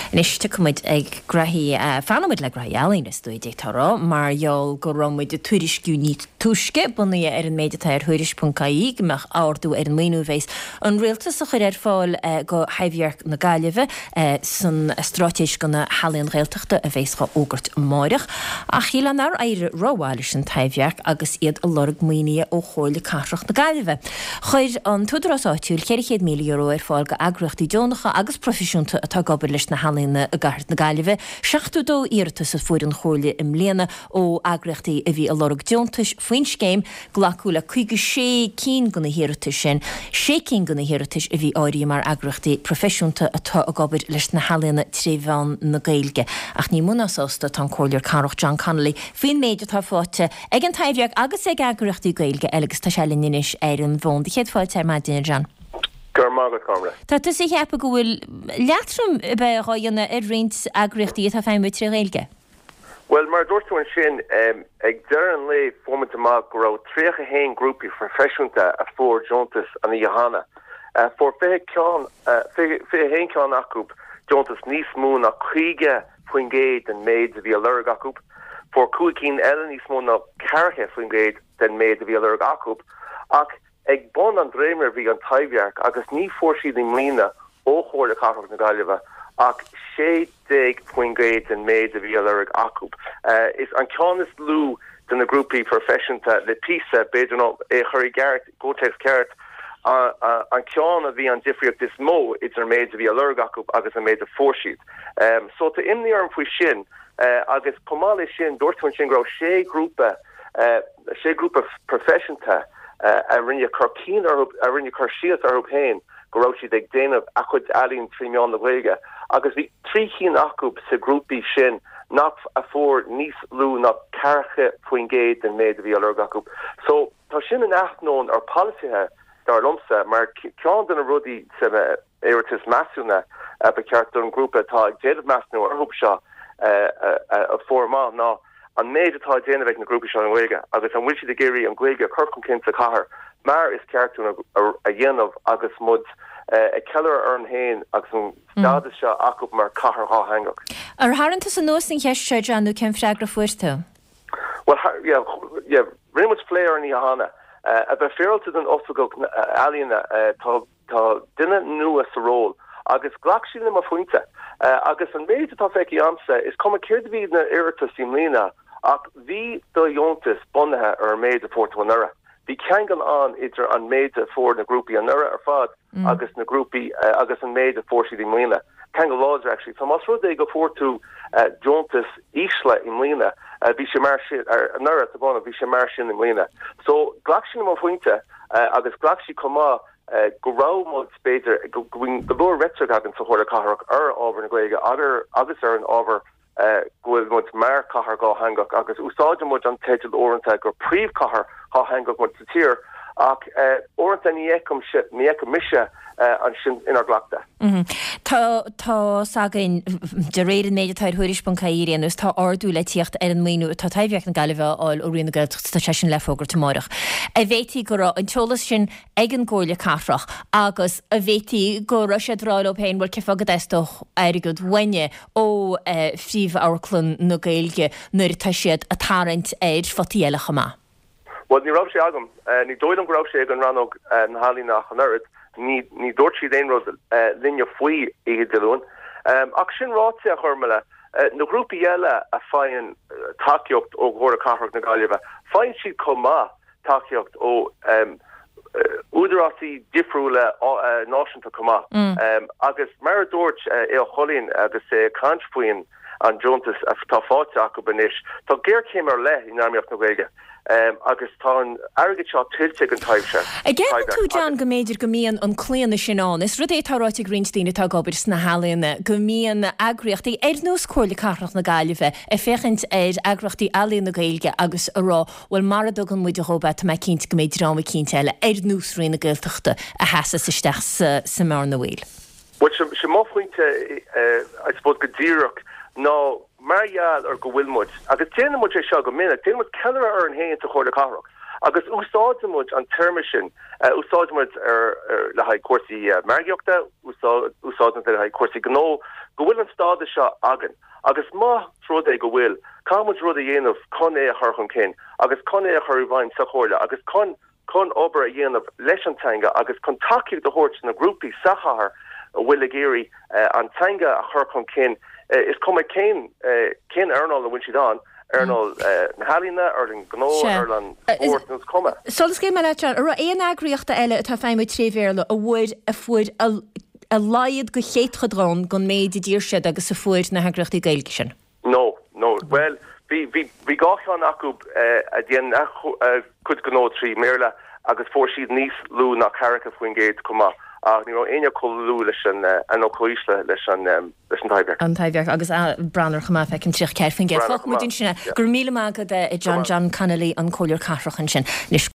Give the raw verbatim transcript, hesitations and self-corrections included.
Anois tiocfaidh muid ag graithí, fanfaidh muid le graithí ealaíne is dóigh d'fhéadfá a rá, mar gheall go raibh muid ag tuairisciú níos túisce, bunaithe ar an méid atá ar Thuairisc ponc ie, go mbeadh ardú ar an maoiniú a bheas an Rialtas a chur ar fáil go Thaibhdhearc na Gaillimhe san Straitéis do na hEalaíon Ghaeltachta a bheas dhá fhógairt amáireach. Ach shílfeá nár éirigh rómhaith leis an Taibhdhearc agus iad ag lorg maoinithe ó Chomhairle Cathrach na Gaillimhe. Chuir an t-údarás áitiúil ceithre chéad míle euro ar fáil go eagraíochtaí deonacha agus proifisiúnta atá ag obair leis na healaíona i gcathair na Gaillimhe. seachtó dó iarratas a fuair an Chomhairle i mbliana ó eagraíochtaí a bhí ag lorg deontais faoin scéim. Glacadh le caoga sé cinn de na hiarratais sin, sé cinn de na hiarratais a bhí áirithe mar eagraíochtaí proifisiúnta atá ag obair leis na healaíona tré mheán na Gaeilge. Ach ní mó ná sásta atá an Comhairleoir Cathrach John Connolly faoin méid atá faighte ag an Taibhdhearc agus ag eagraíochtaí Gaeilge eile agus tá sé linn anois ar an bhfón. Céad fáilte ar maidin, a John. Go raibh maith agat, Gormlaith. Tá tusa ag ceapadh go bhfuil leatrom a bheith dhá dhéanamh ar roinnt eagraíochtaí atá ag feidhmiú tré Ghaeilge? Bhuel, mar a dúirt tú ansin, ag deireadh an lae fuair muid amach go raibh tríocha a haon grúpaí phroifisiúnta a fuair deontas an oíche cheana. Fuair fiche ceann, fiche a haon ceann acu deontas níos mó ná caoga faoin gcéad den méid a bhí á lorg acu. Fuair cúig cinn eile níos mó ná ceathracha faoin gcéad den méid a bhí á lorg acu. Ach Ag bun an dréimire bhí an Taibhdhearc agus ní fuair siad i mbliana ó Chomhairle Cathrach na Gaillimhe ach sé déag faoin gcéad den méid a bhí á lorg acu. Is an ceann is lú de na grúpaí proifisiúnta le píosa, b'fhéidir, nó é a chur i gceart, i gcomhthéacs ceart, an ceann a bhí an difríocht is mó idir an méid a bhí á lorg acu agus an méid a fuair siad. So tá imní orm faoi sin agus chomh maith leis sin dúirt tú ansin go raibh sé ghrúpa, sé grúpa proifisiúnta a rinne cur cinn orthu, a rinne cur síos orthu féin go raibh siad ag déanamh a chuid ealaíon trí mheán na Gaeilge agus bhí trí cinn acu sa grúpaí sin nach a fuair níos lú ná ceathracha faoin gcéad den méid a bhí á lorg acu. So tá sin in ainneoin ár polasaithe dar liomsa mar ceann de na rudaí san iarratas measúnaithe ba cheart don ghrúpa atá ag déanamh measúnú orthu seo a fuair amach ná an méid atá á déanamh ag na grúpaí seo i nGaeilge agus an bhfuil siad ag iarraidh an Ghaeilge a chur chun cinn sa chathair mar is ceart dúinn a dhéanamh agus muid ag ceiliúradh orainn féin agus an stádas seo acu mar chathair dhátheangach. Ar tharraing tusa anuas an cheist seo, John, nó cén freagra a fuair tú? Bhuel, yeah, yeah, rinne muid plé ar an oíche cheana. A bheith féaráilte don Oifigeach Ealaíona, tá Tá duine nua sa ról agus ghlac sí le mo phointe. Agus an méid atá feicthe agamsa, is cuma céard a bhí na iarratais i mbliana ach bhí do dheontas bunaithe ar an méid a fuair tú anuraidh. Bhí ceangal ann idir an méid a fuair na grúpaí anuraidh ar fad agus na grúpaí agus an méid a fuair siad i mbliana. Ceangal láidir actually. So más rud é go fuair tú deontas ísle i mbliana, bhí sé mar sin, anuraidh, tá brón orm, bhí sé mar sin i mbliana. So ghlac sí le mo phointe agus ghlac sí chomh maith go raibh muid, b'fhéidir, go bhfuil go leor reitric againn sa Chomhairle Cathrach ar ábhar na Gaeilge agus ar an ábhar go bhfuil muid mar chathair dhátheangach agus úsáideann muid an teideal uaireanta gur príomhchathair dhátheangach muid sa tír ach uaireanta ní fheicim, ní fheicim mise ansin inár gcleachtadh. Tá tá's againn, de réir an méid atá ar Thuairisc ponc ie ar aon nós, tá ardú le tíocht ar an maoiniú atá Taibhdhearc na Gaillimhe a fháil ó Roinn na Gaeltachta, tá sé sin le fógairt amárach. An bhféadfaí go raibh an t-eolas sin ag an gComhairle Cathrach agus an bhféadfaí go raibh siad ag rá leo féin, bhuel, cén fáth go dteastódh airgead uainne ó phríomh-amharclann na Gaeilge nuair atá siad ag tarraingt ar photaí eile chomh maith? Bhuel, ní raibh sé agam. Ní dóigh liom go raibh sé ag an rannóg na healaíona ach an oiread. Ní, ní dúirt siad aon rud linne faoi oíche Dé Luain. Ach sin ráite, a Ghormlaith, na grúpaí eile a faigheann tacaíocht ó Chomhairle Cathrach na Gaillimhe, faigheann siad chomh maith tacaíocht ó údarásaí difriúla náisiúnta chomh maith. Agus mar a dúirt Aodh Ó Coileáin agus é ag caint faoin an deontas atá faighte acu anois, tá géarchéim ar leith in earnáil na Gaeilge agus tá an airgead seo tuillte ag an Taibhdhearc. An gceapann tú, John, go mb'fhéidir go mbíonn an claonadh sin ann? Is rud é atá ráite ag roinnt daoine atá ag obair sna healaíona, go mbíonn eagraíochtaí ar nós Comhairle Cathrach na Gaillimhe ag féachaint ar eagraíochtaí ealaíon na Gaeilge agus ag rá, Bhuel, mara dtugann muide dhóibh é, tá mé cinnte go mbeidh dream eicínt eile, ar nós Roinn na Gaeltachta, a sheasas isteach sa sa mbearna bhaoil. Bhuel, sin mo phointe, I suppose, go díreach, ná mar gheall ar go bhfuil muid, agus déanann muid é seo go minic, déanann muid ceiliúradh orainn féin sa Chomhairle Cathrach, agus úsáideann muid an téarma sin, úsáideann muid ar, le haghaidh cúrsaí margaíochta, úsáideann muid le haghaidh cúrsaí gnó, go bhfuil an stádas seo againn agus más rud é go bhfuil, caithfidh muid rud a dhéanamh chun é a chur chun cinn agus chun é a chur i bhfeidhm sa chomhairle agus chun chun obair a dhéanamh leis an teanga agus chun tacaíocht a thabhairt na grúpaí sa chathair a bhfuil ag iarraidh an teanga a chur chun cinn, is cuma cén cén earnáil a bhfuil siad ann, earnáil na healaíona, earnáil gnó, earnáil spóirt, nó is cuma. Sula scaoilfidh mé leat, John, an raibh aon eagraíocht eile atá ag feidhmiú tré Bhéarla a bhfuair a fuair a laghad de chéatadán den méid a d'iarr siad agus a fuair na heagraíochtaí Gaeilge sin? No, no. Bhuel, bhí bhí bhí dhá cheann acu a dhéan a cuid gnó trí mBéarla agus fuair siad níos lú ná ceathracha faoin gcéad chomh maith ach ní raibh éinne chomh lú leis an nó chomh ísle leis an leis an Taibhdhearc. An Taibhdhearc agus Branar chomh maith feicim tríocha ceathair faoin gcéad. Fágfaidh muid ansin é. Go raibh míle maith agat John John Connolly an Comhairleoir Cathrach ansin. Anois.